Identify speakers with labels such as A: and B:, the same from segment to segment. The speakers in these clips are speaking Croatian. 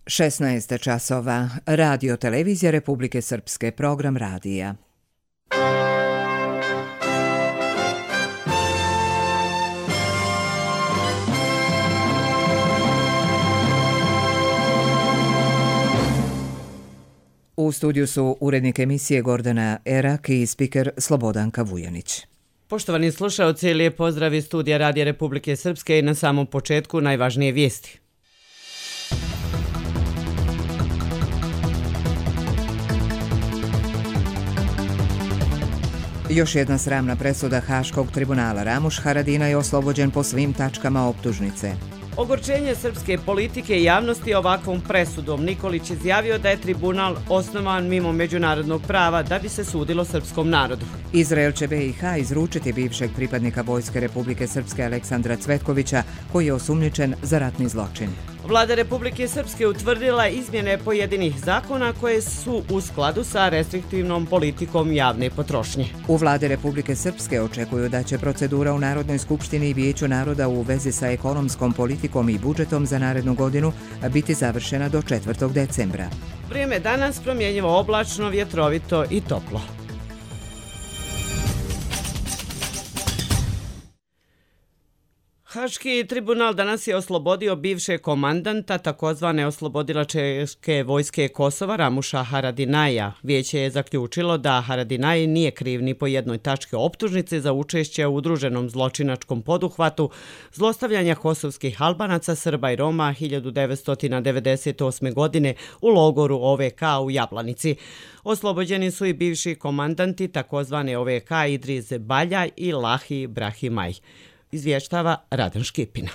A: 16 časova. Radio Televizija Republike Srpske, program radija. U studiju su urednik emisije Gordana Erak i spiker Slobodanka Vujanić.
B: Poštovani slušaoci, lijep pozdrav iz studija Radija Republike Srpske i na samom početku najvažnije vijesti.
A: Još jedna sramna presuda Haškog tribunala. Ramuš Haradinaj je oslobođen po svim tačkama optužnice.
B: Ogorčenje srpske politike i javnosti ovakvom presudom. Nikolić izjavio da je tribunal osnovan mimo međunarodnog prava da bi se sudilo srpskom narodu.
A: Izrael će BiH izručiti bivšeg pripadnika Vojske Republike Srpske Aleksandra Cvetkovića, koji je osumnjičen za ratni zločin.
B: Vlada Republike Srpske utvrdila izmjene pojedinih zakona koje su u skladu sa restriktivnom politikom javne potrošnje.
A: U Vladi Republike Srpske očekuju da će procedura u Narodnoj skupštini i Vijeću naroda u vezi sa ekonomskom politikom i budžetom za narednu godinu biti završena do 4. decembra.
B: Vrijeme danas promjenjivo oblačno, vjetrovito i toplo. Haški tribunal danas je oslobodio bivšeg komandanta takozvane oslobodilačke vojske Kosova Ramuša Haradinaja. Vijeće je zaključilo da Haradinaj nije kriv ni po jednoj tački optužnice za učešće u udruženom zločinačkom poduhvatu zlostavljanja kosovskih Albanaca, Srba i Roma 1998. godine u logoru OVK u Jablanici. Oslobođeni su i bivši komandanti takozvane OVK Idris Balja i Lahi Brahimaj. Izvještava Radan Škipina.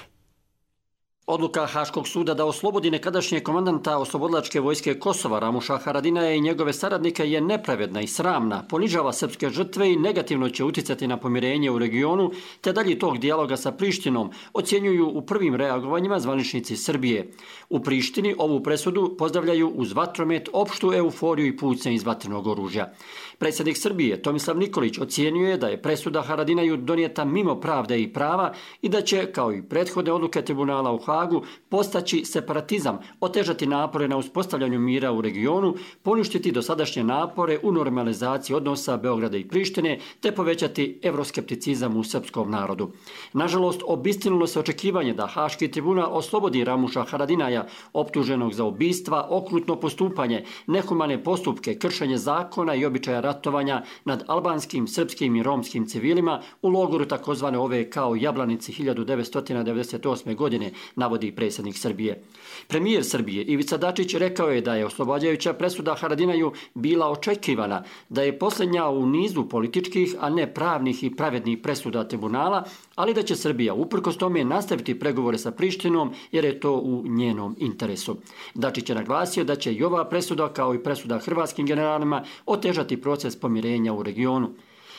C: Odluka Haškog suda da oslobodi nekadašnjeg komandanta oslobodilačke vojske Kosova Ramuša Haradinaja i njegove saradnike je nepravedna i sramna, ponižava srpske žrtve i negativno će utjecati na pomirenje u regionu, te dalje tog dijaloga sa Prištinom, ocjenjuju u prvim reagovanjima zvaničnici Srbije. U Prištini ovu presudu pozdravljaju uz vatromet, opštu euforiju i pucnje iz vatrenog oružja. Predsjednik Srbije Tomislav Nikolić ocjenjuje da je presuda Haradinaju donijeta mimo pravde i prava i da će, kao i prethodne odluke tribunala u Hagu, postaći separatizam, otežati napore na uspostavljanju mira u regionu, poništiti dosadašnje napore u normalizaciji odnosa Beograda i Prištine, te povećati evroskepticizam u srpskom narodu. Nažalost, obistinilo se očekivanje da Haški tribunal oslobodi Ramuša Haradinaja, optuženog za ubistva, okrutno postupanje, nehumane postupke, kršenje zakona i običaja ratovanja nad albanskim, srpskim i romskim civilima u logoru takozvane OVK u Jablanici 1998. godine, navodi predsjednik Srbije. Premijer Srbije Ivica Dačić rekao je da je oslobađajuća presuda Haradinaju bila očekivana, da je posljednja u nizu političkih, a ne pravnih i pravednih presuda tribunala, ali da će Srbija uprkos tome nastaviti pregovore sa Prištinom jer je to u njenom interesu. Dačić je naglasio da će i ova presuda, kao i presuda hrvatskim generalima, otežati proces pomirenja u regionu.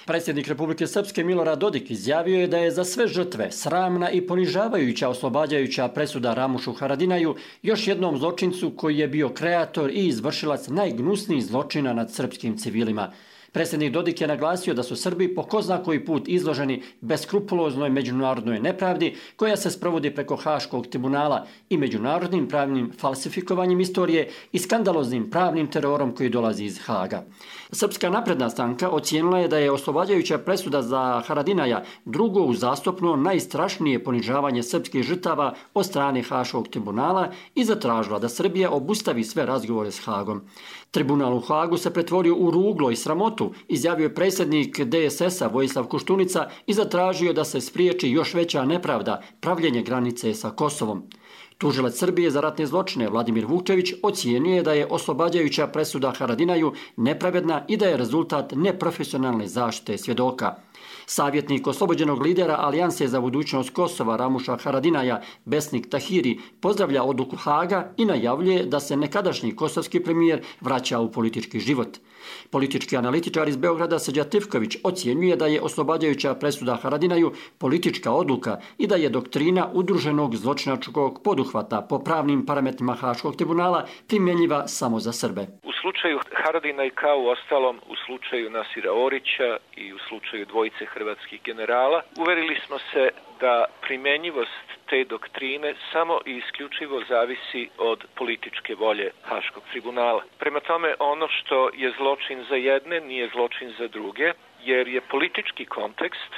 C: Predsjednik Republike Srpske Milorad Dodik izjavio je da je za sve žrtve sramna i ponižavajuća oslobađajuća presuda Ramušu Haradinaju, još jednom zločincu koji je bio kreator i izvršilac najgnusnijih zločina nad srpskim civilima. Predsjednik Dodik je naglasio da su Srbi po ko zna koji put izloženi beskrupuloznoj međunarodnoj nepravdi koja se sprovodi preko Haškog tribunala i međunarodnim pravnim falsifikovanjem istorije i skandaloznim pravnim terorom koji dolazi iz Haga. Srpska napredna stranka ocijenila je da je oslobađajuća presuda za Haradinaja drugo uzastopno najstrašnije ponižavanje srpskih žrtava od strane Haškog tribunala i zatražila da Srbija obustavi sve razgovore s Hagom. Tribunal u Hagu se pretvorio u ruglo i sramotu, izjavio je predsjednik DSS-a Vojislav Koštunica i zatražio da se spriječi još veća nepravda, pravljenje granice sa Kosovom. Tužilac Srbije za ratne zločine Vladimir Vukčević ocijenio je da je oslobađajuća presuda Haradinaju nepravedna i da je rezultat neprofesionalne zaštite svjedoka. Savjetnik oslobođenog lidera Alijanse za budućnost Kosova Ramuša Haradinaja Besnik Tahiri pozdravlja odluku Haga i najavljuje da se nekadašnji kosovski premijer vraća u politički život. Politički analitičar iz Beograda Srđa Trifković ocjenjuje da je oslobađajuća presuda Haradinaju politička odluka i da je doktrina udruženog zločinačkog poduhvata po pravnim parametrima Haškog tribunala primjenjiva samo za Srbe.
D: U slučaju Haradinaj kao u ostalom u slučaju Nasira Orića i u slučaju dvojice dvojice hrvatskih generala. Uverili smo se da primjenjivost te doktrine samo i isključivo zavisi od političke volje Haškog tribunala. Prema tome, ono što je zločin za jedne nije zločin za druge, jer je politički kontekst,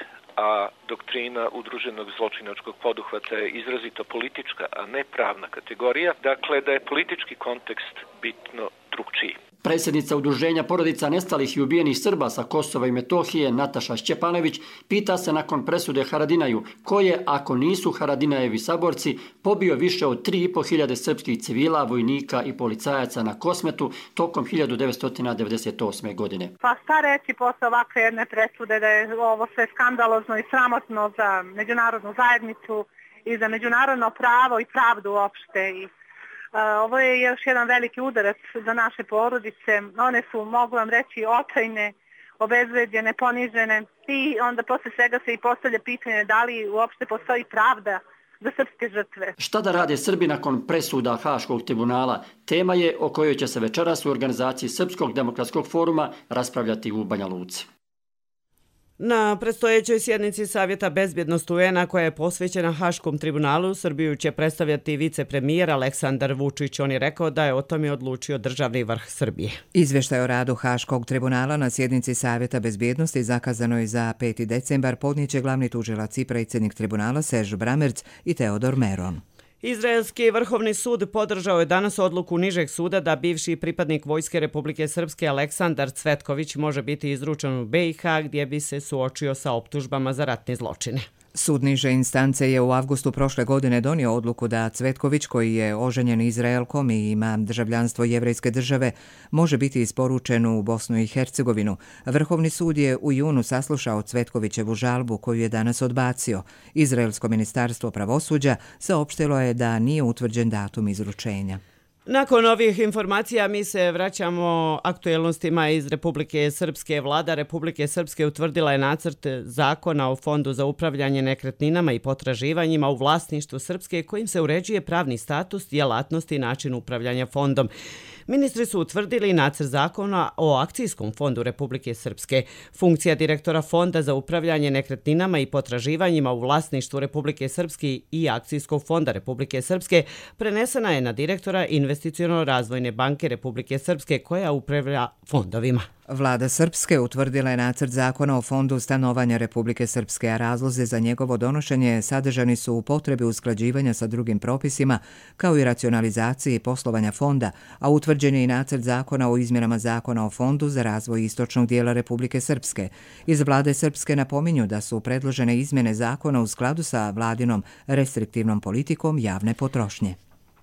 D: a doktrina udruženog zločinačkog poduhvata je izrazito politička, a ne pravna kategorija, dakle da je politički kontekst bitno drugčiji.
C: Predsjednica Udruženja porodica nestalih i ubijenih Srba sa Kosova i Metohije, Nataša Šćepanović, pita se nakon presude Haradinaju, ko je, ako nisu Haradinajevi saborci, pobio više od 3.500 srpskih civila, vojnika i policajaca na Kosmetu tokom 1998. godine.
E: Pa šta reći posle ovakve jedne presude, da je ovo sve skandalozno i sramotno za međunarodnu zajednicu i za međunarodno pravo i pravdu uopšte. Ovo je još jedan veliki udarac za naše porodice. One su, mogu vam reći, očajne, obezvređene, ponižene i onda posle svega se i postavlja pitanje da li uopšte postoji pravda za srpske žrtve.
C: Šta da rade Srbi nakon presuda Haškog tribunala? Tema je o kojoj će se večeras u organizaciji Srpskog demokratskog foruma raspravljati u Banja Luci.
B: Na predstojećoj sjednici Savjeta bezbjednosti UN-a koja je posvećena Haškom tribunalu, Srbiju će predstavljati vicepremijer Aleksandar Vučić. On je rekao da je o tome odlučio državni vrh Srbije.
A: Izvještaj o radu Haškog tribunala na sjednici Savjeta bezbjednosti zakazanoj za 5. decembar podnijeće glavni tužilac i predsjednik tribunala Serž Bramerc i Teodor Meron.
B: Izraelski vrhovni sud podržao je danas odluku nižeg suda da bivši pripadnik Vojske Republike Srpske Aleksandar Cvetković može biti izručen u BiH gdje bi se suočio sa optužbama za ratne zločine.
A: Sud niže instance je u avgustu prošle godine donio odluku da Cvetković, koji je oženjen Izraelkom i ima državljanstvo jevrejske države, može biti isporučen u Bosnu i Hercegovinu. Vrhovni sud je u junu saslušao Cvetkovićevu žalbu koju je danas odbacio. Izraelsko ministarstvo pravosuđa saopštilo je da nije utvrđen datum izručenja.
B: Nakon ovih informacija mi se vraćamo aktuelnostima iz Republike Srpske. Vlada Republike Srpske utvrdila je nacrt zakona o Fondu za upravljanje nekretninama i potraživanjima u vlasništvu Srpske kojim se uređuje pravni status, djelatnosti i način upravljanja fondom. Ministri su utvrdili nacrt zakona o akcijskom fondu Republike Srpske. Funkcija direktora Fonda za upravljanje nekretninama i potraživanjima u vlasništvu Republike Srpske i akcijskog fonda Republike Srpske prenesena je na direktora Investiciono-razvojne banke Republike Srpske koja upravlja fondovima.
A: Vlada Srpske utvrdila je nacrt zakona o Fondu stanovanja Republike Srpske, a razlozi za njegovo donošenje sadržani su u potrebi usklađivanja sa drugim propisima, kao i racionalizaciji poslovanja fonda, a utvrđen je i nacrt zakona o izmjenama zakona o Fondu za razvoj istočnog dijela Republike Srpske. Iz Vlade Srpske napominju da su predložene izmjene zakona u skladu sa vladinom restriktivnom politikom javne potrošnje.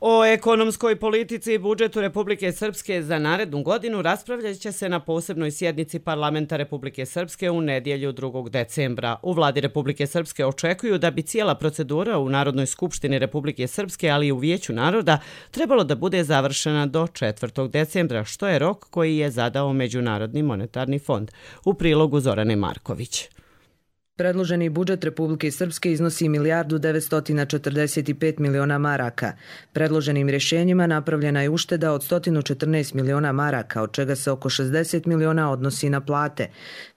B: O ekonomskoj politici i budžetu Republike Srpske za narednu godinu raspravljat će se na posebnoj sjednici Parlamenta Republike Srpske u nedjelju 2. decembra. U Vladi Republike Srpske očekuju da bi cijela procedura u Narodnoj skupštini Republike Srpske, ali i u Vijeću naroda, trebalo da bude završena do 4. decembra, što je rok koji je zadao Međunarodni monetarni fond. U prilogu Zorane Marković.
F: Predloženi budžet Republike Srpske iznosi 1.945 miliona maraka. Predloženim rješenjima napravljena je ušteda od 114 miliona maraka, od čega se oko 60 miliona odnosi na plate.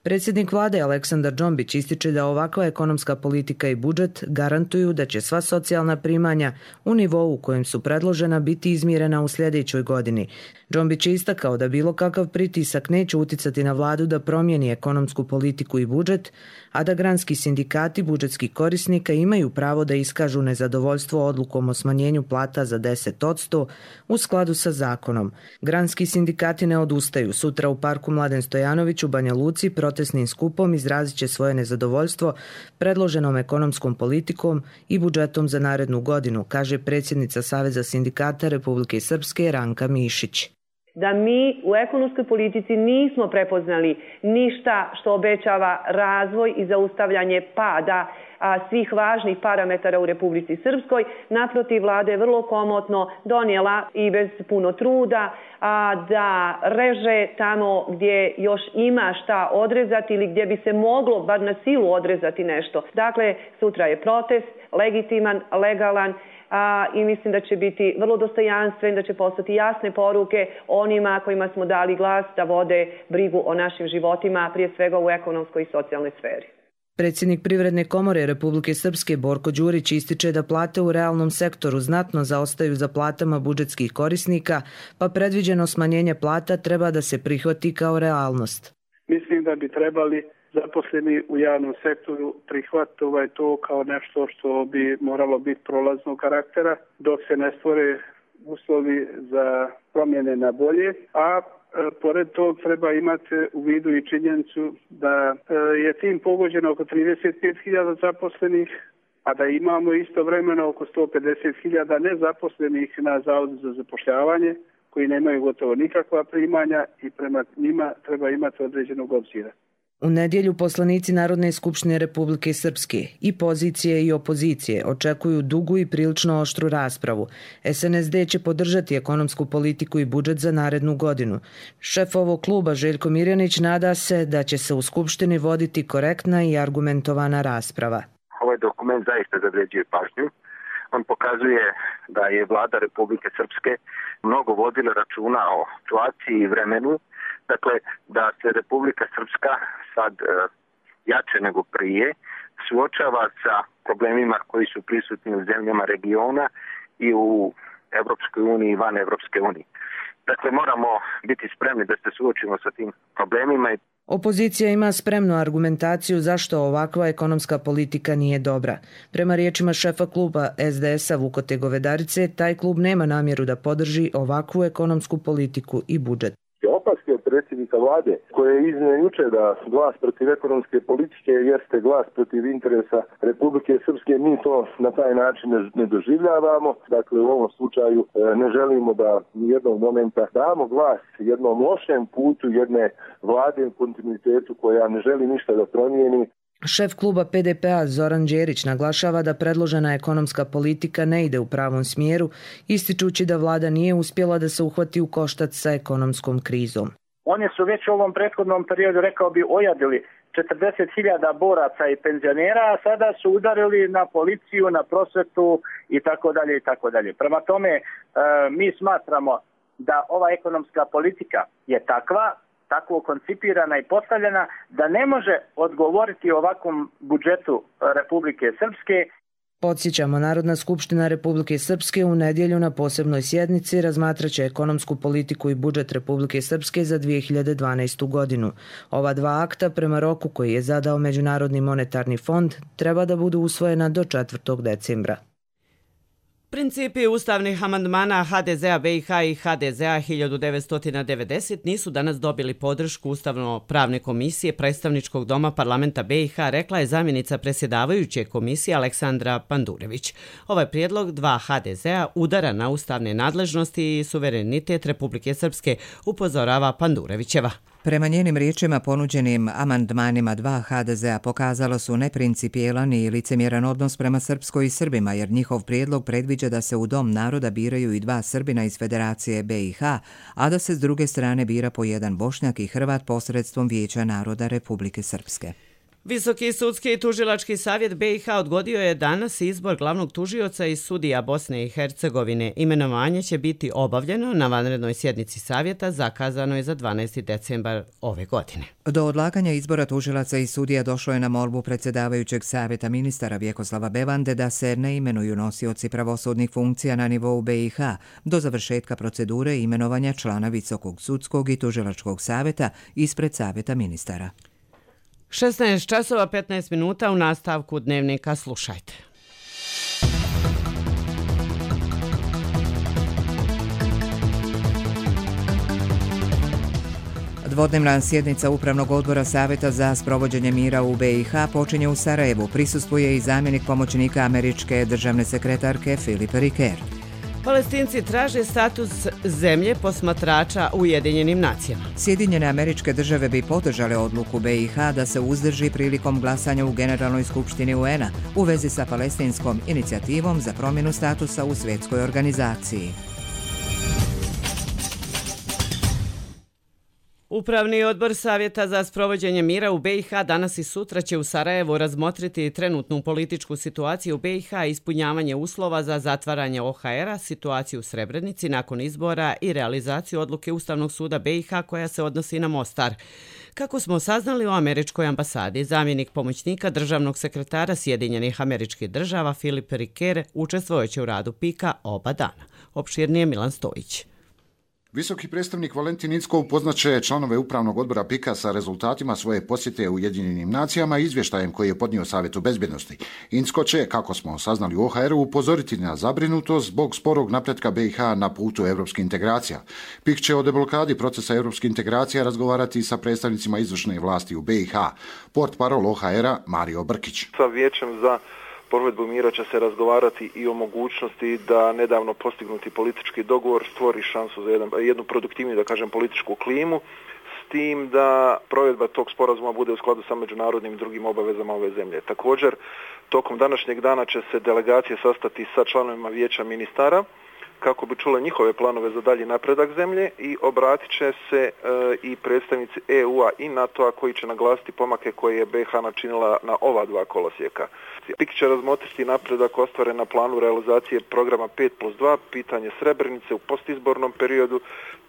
F: Predsjednik vlade Aleksandar Džombić ističe da ovakva ekonomska politika i budžet garantuju da će sva socijalna primanja u nivou u kojem su predložena biti izmirena u sljedećoj godini. Džombić je istakao da bilo kakav pritisak neće uticati na vladu da promijeni ekonomsku politiku i budžet, a da granski sindikati budžetskih korisnika imaju pravo da iskažu nezadovoljstvo odlukom o smanjenju plata za 10% u skladu sa zakonom. Granski sindikati ne odustaju. Sutra u parku Mladen Stojanović u Banja Luci protestnim skupom izrazit će svoje nezadovoljstvo predloženom ekonomskom politikom i budžetom za narednu godinu, kaže predsjednica Saveza sindikata Republike Srpske Ranka Mišić.
G: Da mi u ekonomskoj politici nismo prepoznali ništa što obećava razvoj i zaustavljanje pada svih važnih parametara u Republici Srpskoj. Naprotiv, vlada je vrlo komotno donijela i bez puno truda da reže tamo gdje još ima šta odrezati ili gdje bi se moglo bar na silu odrezati nešto. Dakle, sutra je protest, legitiman, legalan, i mislim da će biti vrlo dostojanstven, da će poslati jasne poruke onima kojima smo dali glas da vode brigu o našim životima, prije svega u ekonomskoj i socijalnoj sferi.
F: Predsjednik Privredne komore Republike Srpske Borko Đurić ističe da plate u realnom sektoru znatno zaostaju za platama budžetskih korisnika, pa predviđeno smanjenje plata treba da se prihvati kao realnost.
H: Mislim da bi trebali zaposleni u javnom sektoru prihvatiti to kao nešto što bi moralo biti prolaznog karaktera dok se ne stvore uslovi za promjene na bolje, a pored tog treba imati u vidu i činjenicu da je tim pogođeno oko 35.000 zaposlenih, a da imamo istovremeno oko 150.000 nezaposlenih na Zavodu za zapošljavanje koji nemaju gotovo nikakva primanja i prema njima treba imati određenog obzira.
F: U nedjelju poslanici Narodne skupštine Republike Srpske i pozicije i opozicije očekuju dugu i prilično oštru raspravu. SNSD će podržati ekonomsku politiku i budžet za narednu godinu. Šef ovog kluba Željko Mirjanić nada se da će se u Skupštini voditi korektna i argumentovana rasprava.
I: Ovaj dokument zaista zavređuje pažnju. On pokazuje da je vlada Republike Srpske mnogo vodila računa o situaciji i vremenu. Dakle, da se Republika Srpska sad jače nego prije suočava sa problemima koji su prisutni u zemljama regiona i u Evropskoj uniji i van Evropske unije. Dakle, moramo biti spremni da se suočimo sa tim problemima.
F: Opozicija ima spremnu argumentaciju zašto ovakva ekonomska politika nije dobra. Prema riječima šefa kluba SDS-a Vukote Govedarice, taj klub nema namjeru da podrži ovakvu ekonomsku politiku i budžet.
J: Opaske od predsjednika vlade koje je iznio juče da glas protiv ekonomske politike jeste glas protiv interesa Republike Srpske, mi to na taj način ne doživljavamo. Dakle, u ovom slučaju ne želimo da nijednog momenta damo glas jednom lošem putu jedne vlade u kontinuitetu koja ne želi ništa da promijeni.
F: Šef kluba PDP-a Zoran Đerić naglašava da predložena ekonomska politika ne ide u pravom smjeru, ističući da vlada nije uspjela da se uhvati u koštac sa ekonomskom krizom.
K: Oni su već u ovom prethodnom periodu, rekao bi, ojadili 40.000 boraca i penzionera, a sada su udarili na policiju, na prosvetu i tako dalje i tako dalje. Prema tome, mi smatramo da ova ekonomska politika je tako koncipirana i postavljena da ne može odgovoriti ovakvom budžetu Republike Srpske.
F: Podsjećamo, Narodna skupština Republike Srpske u nedjelju na posebnoj sjednici razmatraće ekonomsku politiku i budžet Republike Srpske za 2012. godinu. Ova dva akta, prema roku koji je zadao Međunarodni monetarni fond, treba da budu usvojena do 4. decembra.
B: Principi ustavnih amandmana HDZ-a BiH i HDZ-a 1990 nisu danas dobili podršku Ustavno-pravne komisije Predstavničkog doma parlamenta BiH, rekla je zamjenica predsjedavajuće komisije Aleksandra Pandurević. Ovaj prijedlog dva HDZ-a udara na ustavne nadležnosti i suverenitet Republike Srpske, upozorava Pandurevićeva.
A: Prema njenim riječima, ponuđenim amandmanima dva HDZ-a pokazalo su neprincipijelan i licemjeran odnos prema Srpskoj i Srbima, jer njihov prijedlog predviđa da se u Dom naroda biraju i dva Srbina iz Federacije BiH, a da se s druge strane bira po jedan Bošnjak i Hrvat posredstvom Vijeća naroda Republike Srpske.
B: Visoki sudski i tužilački savjet BiH odgodio je danas izbor glavnog tužioca i sudija Bosne i Hercegovine. Imenovanje će biti obavljeno na vanrednoj sjednici savjeta, zakazano je za 12. decembar ove godine.
A: Do odlaganja izbora tužilaca i sudija došlo je na molbu predsjedavajućeg savjeta ministara Vjekoslava Bevande da se ne imenuju nosioci pravosudnih funkcija na nivou BiH do završetka procedure imenovanja člana Visokog sudskog i tužilačkog savjeta ispred savjeta ministara.
B: 16 časova 15 minuta u nastavku dnevnika, slušajte.
A: Dvodnevna sjednica Upravnog odbora Savjeta za sprovođenje mira u BiH počinje u Sarajevu. Prisustvuje i zamjenik pomoćnika američke državne sekretarke Filip Riker.
B: Palestinci traže status zemlje posmatrača u Ujedinjenim nacijama.
A: Sjedinjene Američke Države bi podržale odluku BiH da se uzdrži prilikom glasanja u Generalnoj skupštini UN-a u vezi sa palestinskom inicijativom za promjenu statusa u svjetskoj organizaciji.
B: Upravni odbor Savjeta za sprovođenje mira u BiH danas i sutra će u Sarajevu razmotriti trenutnu političku situaciju u BiH, ispunjavanje uslova za zatvaranje OHR-a, situaciju u Srebrenici nakon izbora i realizaciju odluke Ustavnog suda BiH koja se odnosi na Mostar. Kako smo saznali u američkoj ambasadi, zamjenik pomoćnika državnog sekretara Sjedinjenih Američkih Država Filip Riker učestvojeće u radu PIK-a oba dana. Opširnije Milan Stojić.
L: Visoki predstavnik Valentin Incko upoznaće članove upravnog odbora PIK-a sa rezultatima svoje posjete Ujedinjenim nacijama i izvještajem koji je podnio Savjetu bezbjednosti. Incko će, kako smo saznali u OHR-u, upozoriti na zabrinutost zbog sporog napretka BiH na putu evropskih integracija. PIK će o deblokadi procesa evropskih integracija razgovarati sa predstavnicima izvršne vlasti u BiH. Portparol OHR-a Mario Brkić.
M: Sa vijećem za provedbu mira će se razgovarati i o mogućnosti da nedavno postignuti politički dogovor stvori šansu za jednu produktivniju, da kažem, političku klimu, s tim da provedba tog sporazuma bude u skladu sa međunarodnim i drugim obavezama ove zemlje. Također, tokom današnjeg dana će se delegacije sastati sa članovima vijeća ministara kako bi čule njihove planove za dalji napredak zemlje i obratit će se i predstavnici EU-a i NATO-a koji će naglasiti pomake koje je BiH načinila na ova dva kolosijeka. PIK će razmotriti napredak ostvaren na planu realizacije programa 5+2, pitanje Srebrenice u postizbornom periodu,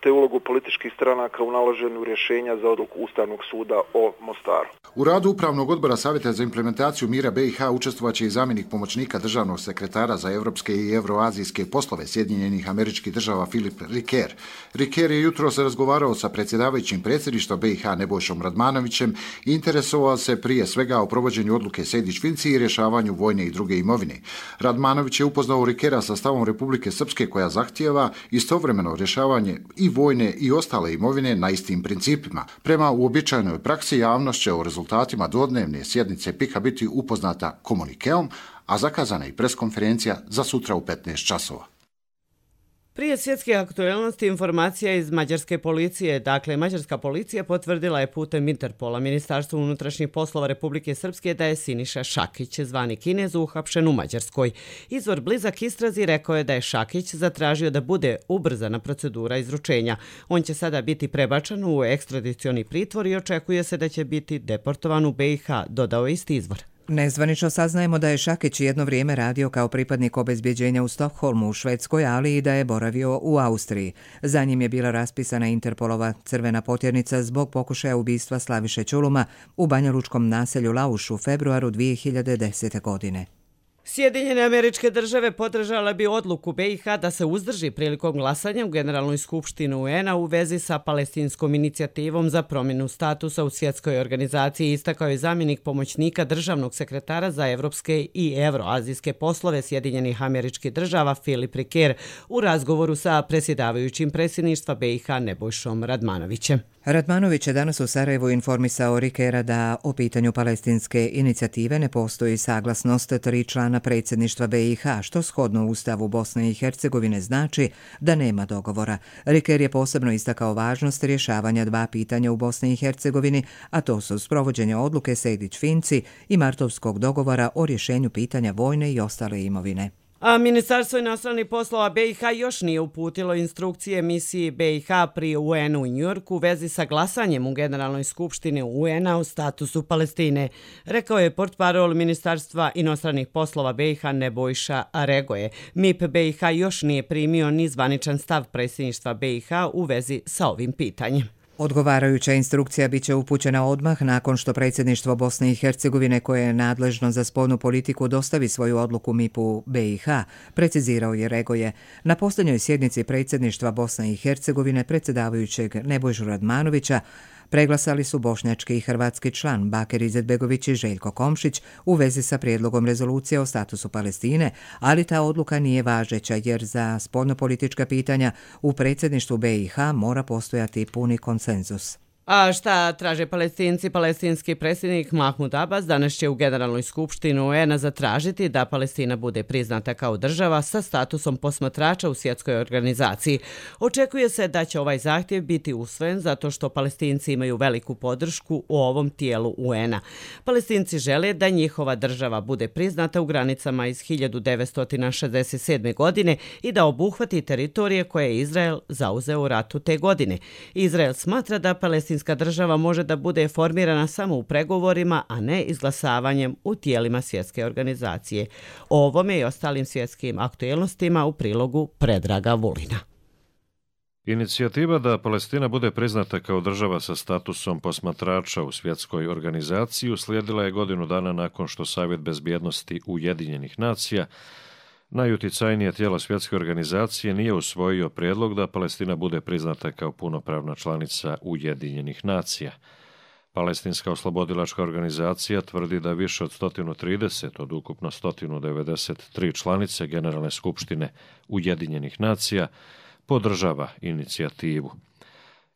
M: te ulogu političkih stranaka u nalaženju rješenja za odluku Ustavnog suda o Mostaru.
L: U radu Upravnog odbora Savjeta za implementaciju mira BiH učestvovaće i zamjenik pomoćnika državnog sekretara za evropske i evroazijske poslove Sjedinjenih Američkih Država Filip Riker. Riker je jutros razgovarao sa predsjedavajućim predsjedništva BiH Nebojšom Radmanovićem i interesovao se prije svega o provođenju odluke Sejdić-Finci i rješavanju vojne i druge imovine. Radmanović je upoznao Rikera sa stavom Republike Srpske koja zahtijeva istovremeno rješavanje i vojne i ostale imovine na istim principima. Prema uobičajenoj praksi javnost će o rezultatima dvodnevne sjednice PIK-a biti upoznata komunikeom, a zakazana je preskonferencija za sutra u 15 časova.
B: Prije svjetske aktualnosti informacija iz mađarske policije. Dakle, mađarska policija potvrdila je putem Interpola Ministarstvu unutrašnjih poslova Republike Srpske da je Siniša Šakić, zvani Kinez, uhapšen u Mađarskoj. Izvor blizak istrazi rekao je da je Šakić zatražio da bude ubrzana procedura izručenja. On će sada biti prebačen u ekstradicioni pritvor i očekuje se da će biti deportovan u BiH, dodao isti izvor.
A: Nezvanično saznajemo da je Šakić jedno vrijeme radio kao pripadnik obezbjeđenja u Stokholmu u Švedskoj, ali i da je boravio u Austriji. Za njim je bila raspisana Interpolova crvena potjernica zbog pokušaja ubistva Slaviše Čuluma u banjalučkom naselju Lauš u februaru 2010. godine.
B: Sjedinjene Američke Države podržale bi odluku BiH da se uzdrži prilikom glasanja u Generalnoj skupštini UN-a u vezi sa palestinskom inicijativom za promjenu statusa u svjetskoj organizaciji, istakao je zamjenik pomoćnika državnog sekretara za evropske i evroazijske poslove Sjedinjenih Američkih Država Filip Riker u razgovoru sa predsjedavajućim predsjedništva BiH Nebojšom Radmanovićem.
A: Radmanović je danas u Sarajevu informisao Rikera da o pitanju palestinske inicijative ne postoji saglasnost 3 člana predsjedništva BiH, što shodno Ustavu Bosne i Hercegovine znači da nema dogovora. Riker je posebno istakao važnost rješavanja 2 pitanja u Bosni i Hercegovini, a to su sprovođenje odluke Sejdić-Finci i martovskog dogovora o rješenju pitanja vojne i ostale imovine.
B: A Ministarstvo inostranih poslova BiH još nije uputilo instrukcije misiji BiH pri UN-u u Njujorku u vezi sa glasanjem u Generalnoj skupštini UN-a u statusu Palestine, rekao je portparol Ministarstva inostranih poslova BiH Nebojša Aregoje. MIP BiH još nije primio ni zvaničan stav predsjedništva BiH u vezi sa ovim pitanjem.
A: Odgovarajuća instrukcija biće upućena odmah nakon što predsjedništvo Bosne i Hercegovine, koje je nadležno za spoljnu politiku, dostavi svoju odluku MIP-u BiH, precizirao je Regoje. Na posljednjoj sjednici predsjedništva Bosne i Hercegovine predsjedavajućeg Nebojšu Radmanovića preglasali su bošnjački i hrvatski član Bakir Izetbegović i Željko Komšić u vezi sa prijedlogom rezolucije o statusu Palestine, ali ta odluka nije važeća jer za spoljnopolitička pitanja u predsjedništvu BiH mora postojati puni konsenzus.
B: A šta traže Palestinci? Palestinski predsjednik Mahmud Abbas danas će u Generalnoj skupštini UN-a zatražiti da Palestina bude priznata kao država sa statusom posmatrača u svjetskoj organizaciji. Očekuje se da će ovaj zahtjev biti usvojen zato što Palestinci imaju veliku podršku u ovom tijelu UN-a. Palestinci žele da njihova država bude priznata u granicama iz 1967. godine i da obuhvati teritorije koje je Izrael zauzeo u ratu te godine. Izrael smatra da Palestinska država može da bude formirana samo u pregovorima, a ne izglasavanjem u tijelima svjetske organizacije. O ovome i ostalim svjetskim aktualnostima u prilogu Predraga Vulina.
N: Inicijativa da Palestina bude priznata kao država sa statusom posmatrača u svjetskoj organizaciji uslijedila je godinu dana nakon što Savjet bezbjednosti Ujedinjenih nacija, najuticajnije tijelo svjetske organizacije, nije usvojio prijedlog da Palestina bude priznata kao punopravna članica Ujedinjenih nacija. Palestinska oslobodilačka organizacija tvrdi da više od 130 od ukupno 193 članice Generalne skupštine Ujedinjenih nacija podržava inicijativu.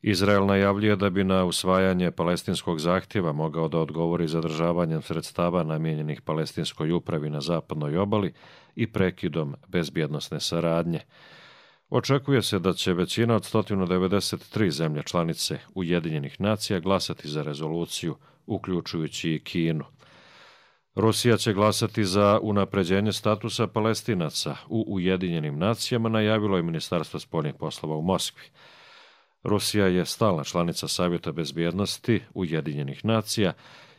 N: Izrael najavljuje da bi na usvajanje palestinskog zahtjeva mogao da odgovori zadržavanjem sredstava namijenjenih palestinskoj upravi na zapadnoj obali i prekidom bezbjednosne saradnje. Očekuje se da će većina od 193 zemlje članice Ujedinjenih nacija glasati za rezoluciju, uključujući i Kinu. Rusija će glasati za unapređenje statusa Palestinaca u Ujedinjenim nacijama, najavilo je Ministarstvo spoljnih poslova u Moskvi. Rusija je stalna članica Savjeta bezbjednosti Ujedinjenih nacija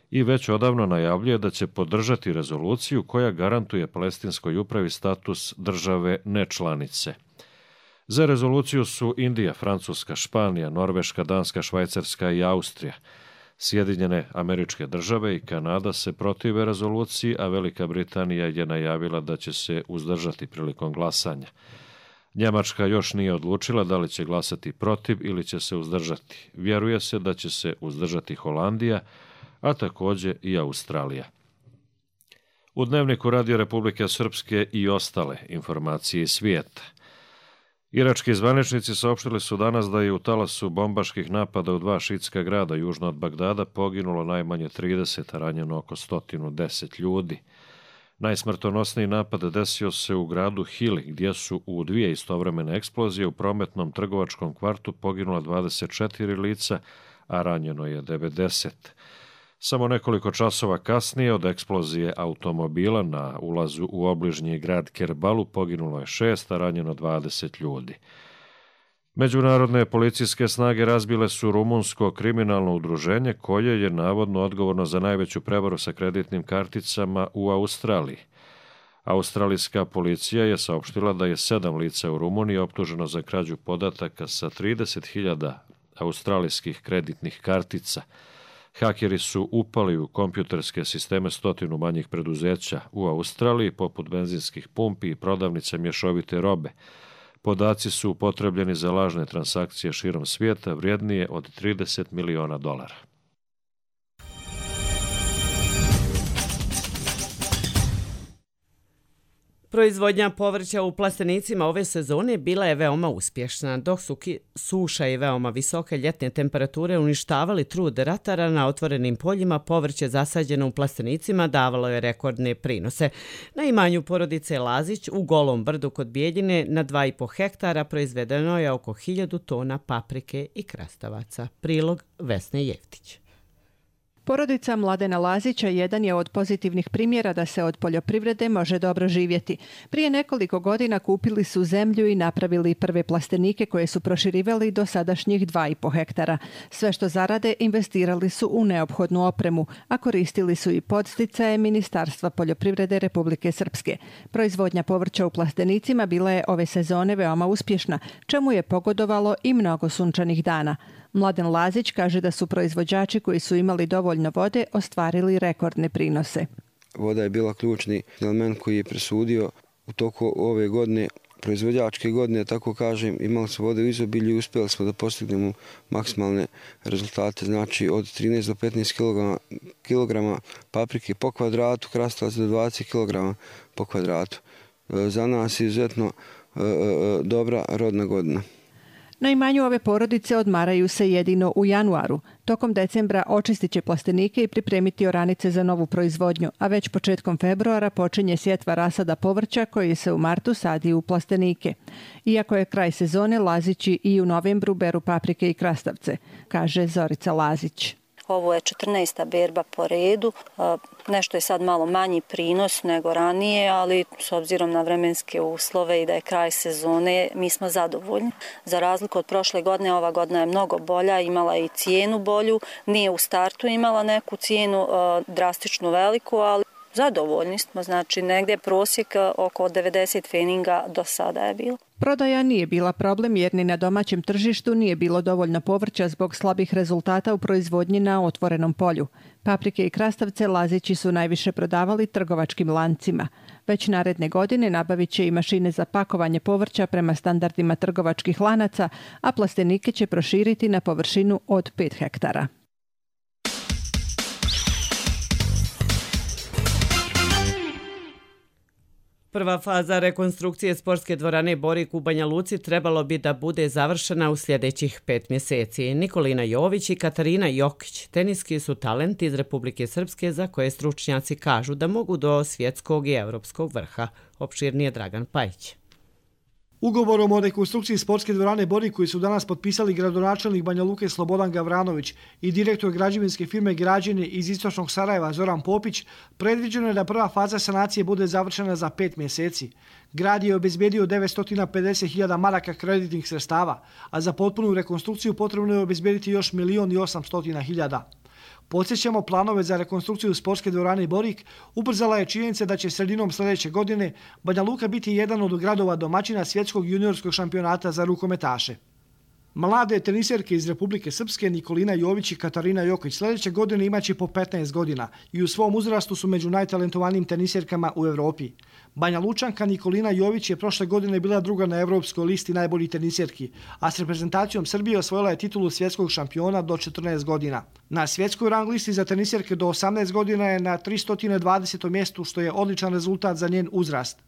N: i već odavno najavljuje da će podržati rezoluciju koja garantuje palestinskoj upravi status države nečlanice. Za rezoluciju su Indija, Francuska, Španija, Norveška, Danska, Švajcarska i Austrija. Sjedinjene Američke Države i Kanada se protive rezoluciji, a Velika Britanija je najavila da će se uzdržati prilikom glasanja. Njemačka još nije odlučila da li će glasati protiv ili će se uzdržati. Vjeruje se da će se uzdržati Holandija, a također i Australija. U Dnevniku Radio Republike Srpske i ostale informacije iz svijeta. Irački zvaničnici saopštili su danas da je u talasu bombaških napada u 2 šiitska grada južno od Bagdada poginulo najmanje 30, a ranjeno oko 110 ljudi. Najsmrtonosniji napad desio se u gradu Hili, gdje su u 2 istovremene eksplozije u prometnom trgovačkom kvartu poginula 24 lica, a ranjeno je 90. Samo nekoliko časova kasnije od eksplozije automobila na ulazu u obližnji grad Kerbalu poginulo je 6, a ranjeno 20 ljudi. Međunarodne policijske snage razbile su rumunsko kriminalno udruženje koje je navodno odgovorno za najveću prevaru sa kreditnim karticama u Australiji. Australijska policija je saopštila da je 7 lica u Rumuniji optuženo za krađu podataka sa 30.000 australijskih kreditnih kartica. Hakeri su upali u kompjuterske sisteme 100 manjih preduzeća u Australiji, poput benzinskih pumpi i prodavnice mješovite robe. Podaci su upotrebljeni za lažne transakcije širom svijeta vrijednije od $30 miliona.
B: Proizvodnja povrća u plastenicima ove sezone bila je veoma uspješna, dok su suša i veoma visoke ljetne temperature uništavali trud ratara na otvorenim poljima. Povrće zasađeno u plastenicima davalo je rekordne prinose. Na imanju porodice Lazić u Golom brdu kod Bijeljine na 2,5 hektara proizvedeno je oko 1000 tona paprike i krastavaca. Prilog Vesne Jeftić.
O: Porodica Mladena Lazića jedan je od pozitivnih primjera da se od poljoprivrede može dobro živjeti. Prije nekoliko godina kupili su zemlju i napravili prve plastenike koje su proširivali do sadašnjih 2,5 hektara. Sve što zarade investirali su u neophodnu opremu, a koristili su i podsticaje Ministarstva poljoprivrede Republike Srpske. Proizvodnja povrća u plastenicima bila je ove sezone veoma uspješna, čemu je pogodovalo i mnogo sunčanih dana. Mladen Lazić kaže da su proizvođači koji su imali dovoljno vode ostvarili rekordne prinose.
P: Voda je bila ključni element koji je presudio u toku ove godine, proizvođačke godine, tako kažem, imali smo vode u izobilju i uspjeli smo da postignemo maksimalne rezultate, znači od 13 do 15 kilograma paprike po kvadratu, krastavac do 20 kilograma po kvadratu. Za nas je izuzetno dobra rodna godina.
O: Na imanju ove porodice odmaraju se jedino u januaru. Tokom decembra očistit će plastenike i pripremiti oranice za novu proizvodnju, a već početkom februara počinje sjetva rasada povrća koji se u martu sadi u plastenike. Iako je kraj sezone, Lazići i u novembru beru paprike i krastavce, kaže Zorica Lazić.
Q: Ovo je 14. berba po redu, nešto je sad malo manji prinos nego ranije, ali s obzirom na vremenske uslove i da je kraj sezone, mi smo zadovoljni. Za razliku od prošle godine, ova godina je mnogo bolja, imala je i cijenu bolju, nije u startu imala neku cijenu drastično veliku, ali Zadovoljni smo, znači negdje prosjek oko 90 feninga do sada je bilo.
O: Prodaja nije bila problem jer ni na domaćem tržištu nije bilo dovoljno povrća zbog slabih rezultata u proizvodnji na otvorenom polju. Paprike i krastavce Lazići su najviše prodavali trgovačkim lancima. Već naredne godine nabavit će i mašine za pakovanje povrća prema standardima trgovačkih lanaca, a plastenike će proširiti na površinu od 5 hektara.
B: Prva faza rekonstrukcije sportske dvorane Borik u Banja Luci trebalo bi da bude završena u sljedećih 5 mjeseci. Nikolina Jović i Katarina Jokić, teniski su talenti iz Republike Srpske za koje stručnjaci kažu da mogu do svjetskog i europskog vrha. Opširnije Dragan Pajić.
R: Ugovorom o rekonstrukciji sportske dvorane Borik koji su danas potpisali gradonačelnik Banja Luke Slobodan Gavranović i direktor građevinske firme Građenje iz istočnog Sarajeva Zoran Popić, predviđeno je da prva faza sanacije bude završena za 5 mjeseci. Grad je obezbedio 950.000 maraka kreditnih sredstava, a za potpunu rekonstrukciju potrebno je obezbediti još 1.800.000. Podsjećamo, planove za rekonstrukciju sportske dvorane Borik ubrzala je činjenica da će sredinom sljedeće godine Banja Luka biti jedan od gradova domaćina svjetskog juniorskog šampionata za rukometaše. Mlade teniserke iz Republike Srpske Nikolina Jović i Katarina Jokić sljedeće godine imaće po 15 godina i u svom uzrastu su među najtalentovanijim teniserkama u Evropi. Banja Lučanka Nikolina Jović je prošle godine bila druga na evropskoj listi najboljih teniserki, a s reprezentacijom Srbije osvojila je titulu svjetskog šampiona do 14 godina. Na svjetskoj rang listi za teniserke do 18 godina je na 320. mjestu, što je odličan rezultat za njen uzrast.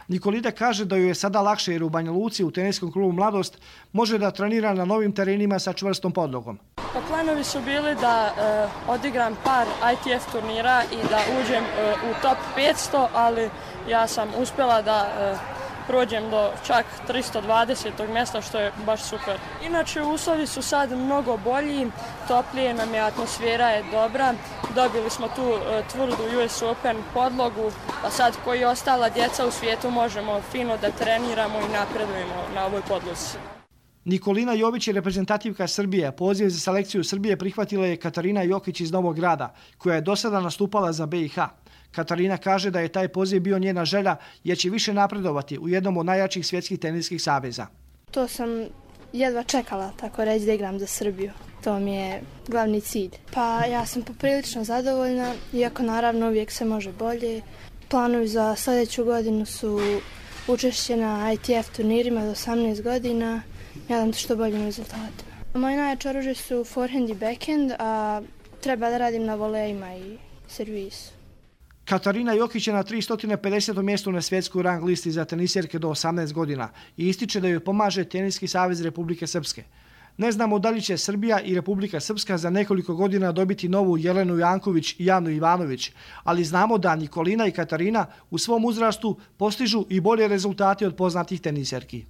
R: Nikolina kaže da joj je sada lakše jer u Banja Luci u teniskom klubu Mladost može da trenira na novim terenima sa čvrstom podlogom.
S: Pa planovi su bili da odigram par ITF turnira i da uđem u top 500, ali ja sam uspjela da prođem do čak 320. mjesta, što je baš super. Inače, uslovi su sad mnogo bolji, toplije nam je, atmosfera je dobra. Dobili smo tu tvrdu US Open podlogu, pa sad koji ostala djeca u svijetu možemo fino da treniramo i napredujemo na ovoj podlozi.
R: Nikolina Jović je reprezentativka Srbije. Poziv za selekciju Srbije prihvatila je Katarina Jokić iz Novog Grada, koja je do sada nastupala za BiH. Katarina kaže da je taj poziv bio njena želja jer će više napredovati u jednom od najjačih svjetskih teniskih saveza.
T: To sam jedva čekala, tako reći, da igram za Srbiju. To mi je glavni cilj. Pa ja sam poprilično zadovoljna, iako naravno uvijek se može bolje. Planovi za sljedeću godinu su učešće na ITF turnirima do 18 godina. Nadam se što boljim rezultatima. Moje najjače oružje su forehand i backhand, a treba da radim na volejima i servisu.
R: Katarina Jokić je na 350. mjestu na svjetskoj rang listi za teniserke do 18 godina i ističe da joj pomaže Teniski savez Republike Srpske. Ne znamo da li će Srbija i Republika Srpska za nekoliko godina dobiti novu Jelenu Janković i Janu Ivanović, ali znamo da Nikolina i Katarina u svom uzrastu postižu i bolje rezultate od poznatih teniserki.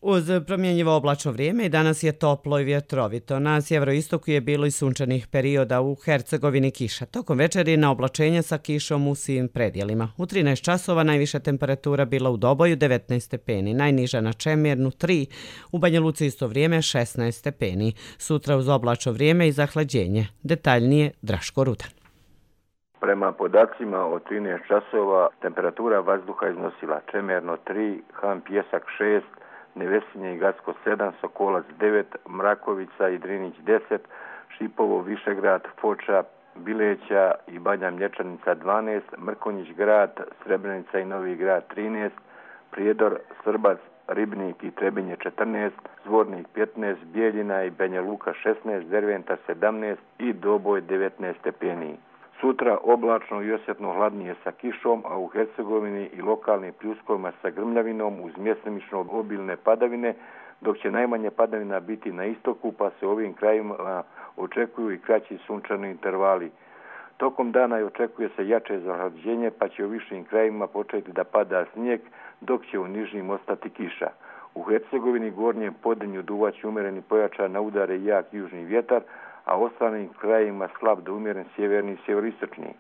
B: Uz promjenjivo oblačno vrijeme i danas je toplo i vjetrovito. Na sjeveroistoku je bilo i sunčanih perioda, u Hercegovini kiša. Tokom večeri na oblačenje sa kišom u svim predjelima. U 13 časova najviša temperatura bila u Doboju 19 stepeni, najniža na Čemirnu 3, u Banja Luci isto vrijeme 16 stepeni. Sutra uz oblačno vrijeme i zahlađenje. Detaljnije Draško Rudan.
U: Prema podacima od 13 časova temperatura vazduha iznosila Čemerno 3, Han Pjesak 6, Nevesinje i Gacko 7, Sokolac 9, Mrakovica i Drinić 10, Šipovo, Višegrad, Foča, Bileća i Banja Mlječanica 12, Mrkonjić grad, Srebrenica i Novi grad 13, Prijedor, Srbac, Ribnik i Trebinje 14, Zvornik 15, Bijeljina i Banja Luka 16, Derventa 17 i Doboj 19 stepeni. Sutra oblačno i osjetno hladnije sa kišom, a u Hercegovini i lokalnim pljuskovima sa grmljavinom uz mjestimično obilne padavine, dok će najmanje padavina biti na istoku, pa se ovim krajima očekuju i kraći sunčani intervali. Tokom dana očekuje se jače zahlađenje, pa će u višim krajima početi da pada snijeg, dok će u nižim ostati kiša. U Hercegovini gornjem podenju duvaće umjereni pojačan na udare jak južni vjetar, a ostalim krajima slab do umjeren sjeverni i sjeveroistočni.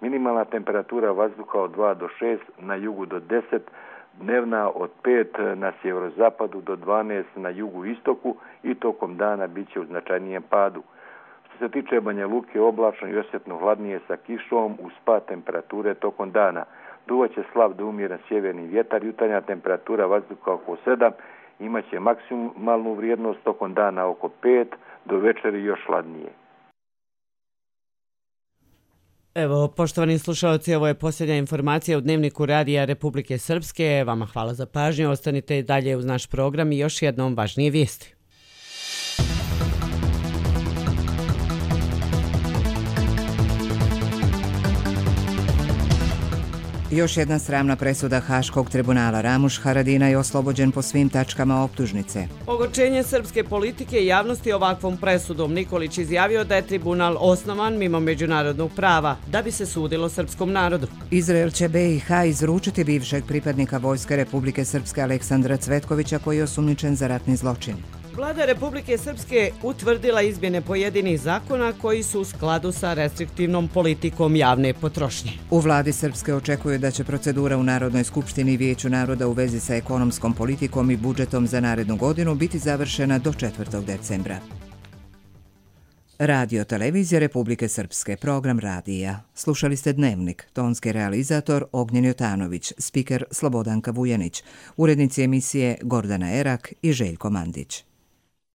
U: Minimalna temperatura vazduha od 2 do 6, na jugu do 10, dnevna od 5 na sjeverozapadu do 12 na jugu istoku i tokom dana bit će u značajnijem padu. Što se tiče Banja Luke, oblačno i osjetno hladnije sa kišom uz pad temperature tokom dana. Duvaće slab do umjeren sjeverni vjetar, jutarnja temperatura vazduha oko 7, imaće maksimalnu vrijednost tokom dana oko 5, do večeri još hladnije.
B: Evo, poštovani slušalci, ovo je posljednja informacija u Dnevniku Radija Republike Srpske. Vama hvala za pažnju, ostanite i dalje uz naš program i još jednom važnije vijesti.
A: Još jedna sramna presuda Haškog tribunala. Ramuš Haradinaj je oslobođen po svim tačkama optužnice.
B: Ogorčenje srpske politike i javnosti ovakvom presudom. Nikolić izjavio da je tribunal osnovan mimo međunarodnog prava, da bi se sudilo srpskom narodu.
A: Izrael će BiH izručiti bivšeg pripadnika Vojske Republike Srpske Aleksandra Cvetkovića koji je osumnjičen za ratni zločin.
B: Vlada Republike Srpske utvrdila izmjene pojedinih zakona koji su u skladu sa restriktivnom politikom javne potrošnje.
A: U vladi Srpske očekuju da će procedura u Narodnoj skupštini i Vijeću naroda u vezi sa ekonomskom politikom i budžetom za narednu godinu biti završena do 4. decembra. Radio Televizija Republike Srpske, program radija. Slušali ste Dnevnik, tonski realizator Ognjen Jotanović, spiker Slobodanka Vujanić, urednici emisije Gordana Erak i Željko Mandić.